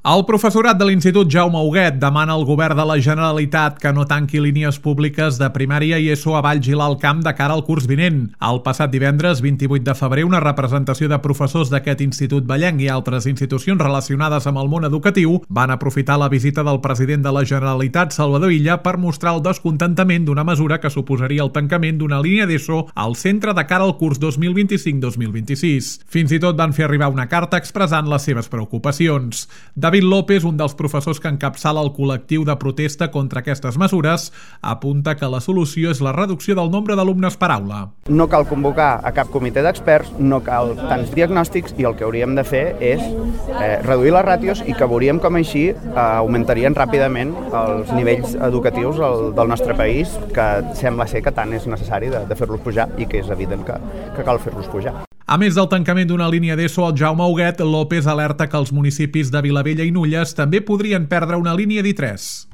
El professorat de l'Institut Jaume Huguet demana al govern de la Generalitat que no tanqui línies públiques de primària i ESO a Valls i l'Alt Camp de cara al curs vinent. El passat divendres, 28 de febrer, una representació de professors d'aquest institut vallenc i altres institucions relacionades amb el món educatiu van aprofitar la visita del president de la Generalitat, Salvador Illa, per mostrar el descontentament d'una mesura que suposaria el tancament d'una línia d'ESO al centre de cara al curs 2025-2026. Fins i tot van fer arribar una carta expressant les seves preocupacions. David López, un dels professors que encapçala el col·lectiu de protesta contra aquestes mesures, apunta que la solució és la reducció del nombre d'alumnes per aula. No cal convocar a cap comitè d'experts, no cal tants diagnòstics i el que hauríem de fer és reduir les ràtios i que veuríem com així augmentarien ràpidament els nivells educatius del nostre país, que sembla ser que tant és necessari de fer-los pujar i que és evident que cal fer-los pujar. A més del tancament d'una línia d'ESO al Jaume Huguet, López alerta que els municipis de Vilavella i Nulles també podrien perdre una línia d'I3.